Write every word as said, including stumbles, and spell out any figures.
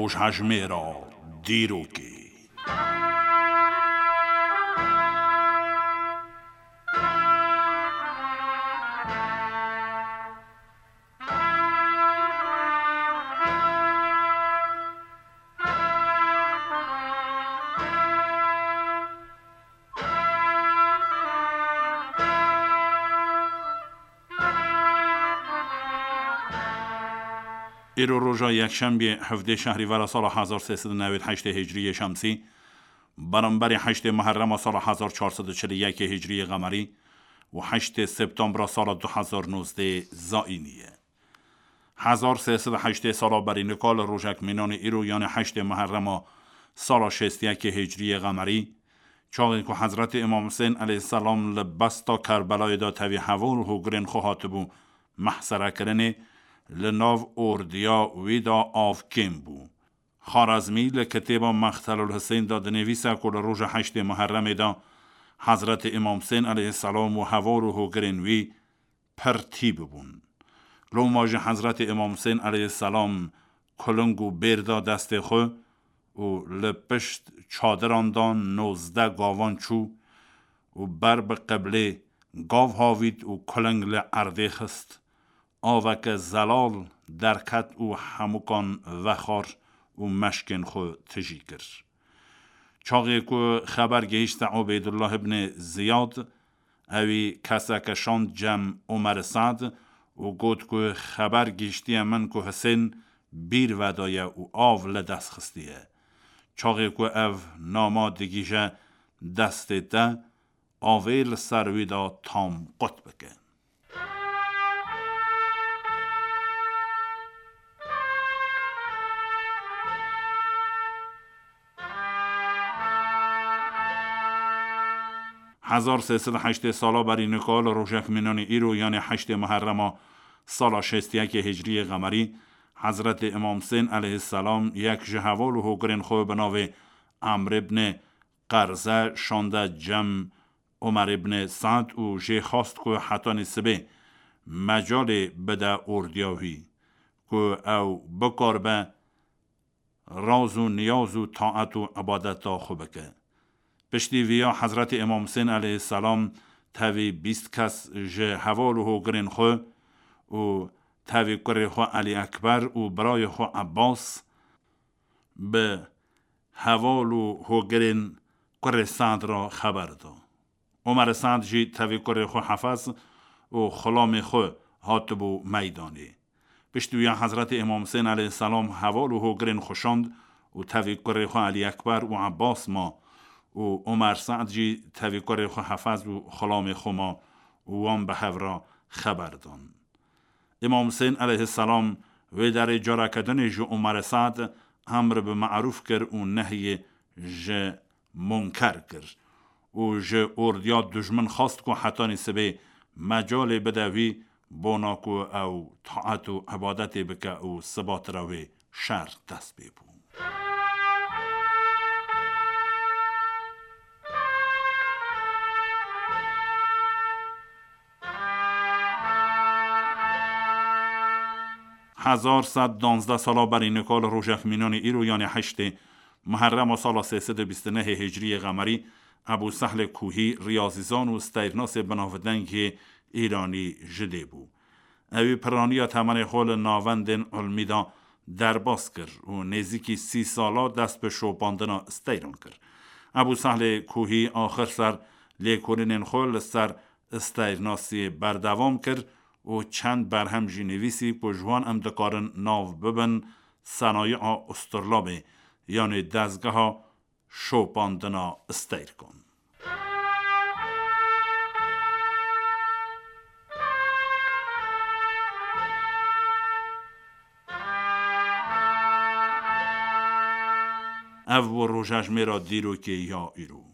Rojhejmêra dîrokê. Îro roja yekşembiyê hevdê şehrîvera sala hezar sê sed û newêd heştê hicriyê şemsî, beramberî heştê Muherrema sala hezar çar sed û çil û yekê hicriyê qemerî û heştê Septembra sala du hezar nozdê zayînî ye. Hezar sê sed û heştê sala berî nika li rojek mînanê îro, yanê heştê Muherrema sala şêst û yekê hicriyê qemerî, çaxê ku Hezretî Îmam Husên aleyhisselam li besta Kerbelayê de tevî heval û hogirên xwe hatibû mehserekirinê, li nav ordiya wî de av kêm bû. Xarezmî li kitêba Mextelul Husên de dinivîse ku li roja heştê Muherremê de Hezretî Îmam Husên aleyhisselam û heval û hogirên wî pir tî bibûn. Loma jî Hezretî Îmam Husên aleyhisselam kuling û bêr da destê xwe û li pişt çadiran de nozdeh gavan çû û ber bi qiblê gav havît û kuling li erdê xist. Aveke zelal derket û hemûkan vexwar û meşkên xwe tijî kir. Çaxê ku xeber gihîşte Ubeydullah ibnê Ziyad, ewî keseke şand cem Omer Sad û got ku xeber gihîştiye min ku Hisên bîr vedaye û av li dest xistiye. Çaxê ku ev nama digihîje destê te, avê li ser wî de tam qut bike. Hezar sê sed û heştê sala berî nika li rojek mînanê îro, yanê heştê Muherrema sala şêst û yekê hicriyê qemerî, Hezretê Îmam Husên aleyhisselam yek ji heval û hogirên xwe bi navê Emr ibn Qerze şande cem Omer ibn Sa'd û jê xwest ku hetanî sibê mecalê bide ordiya wî, ku ew bikaribe raz û niyaz û taet û ibadeta xwe bike. Piştî viya Hezretî Îmam Husên aleyhisselam tevî bîst kes ji heval û hogirên xwe û tevî kurê xwe Elî Ekber û birayê xwe Ebbas bi heval û hogirên kurê Sa'd re xeber da. Omer Sa'd jî tevî kurê xwe Hefez û xulamê xwe hatibû meydanê. Piştî wiya Hezretî Îmam Husên aleyhisselam heval û hogirên xwe şand û tevî kurê xwe Elî Ekber û Ebbas ma û Omer Sa'd jî tevî kurê xwe Hefez û xulamê xwe ma û wan bi hev re xeber dan. Îmam Husên aleyhisselam wê derê careke dinê ji Omer Sa'd emr bi me'rûf kir û nehyê ji munker kir û ji ordiya dijmin xwest ku hetanî sibê mecalê bide wî, bona ku ew taet û ibadetê bike û sibatira wê şer dest pê bû. Hezar sed danzdeh sala berî nika li rojek mînanê îro, yanê heştê Muherrema sala sê sed û bîst û nehê hicriyê qemerî, Ebû Sehlê Kuhî riyazîzan û steyrnasê binavdengê îranî ji dê bû. Ewî piraniya temenê xwe li navendên ilmî de derbas kir û nêzîkî sî sala dest bi şopandina steyran kir. Ebû Sehlê Kuhî axir ser lêkolînên xwe li ser steyrnasiyê berdewam kir û çend berhem jî nivîsî ku ji wan em dikarin nav bibin Senayi'a Usturlabê, yanê dezgeha şopandina steyrkan. Ev bû rojejmêra dîrokê ya îro.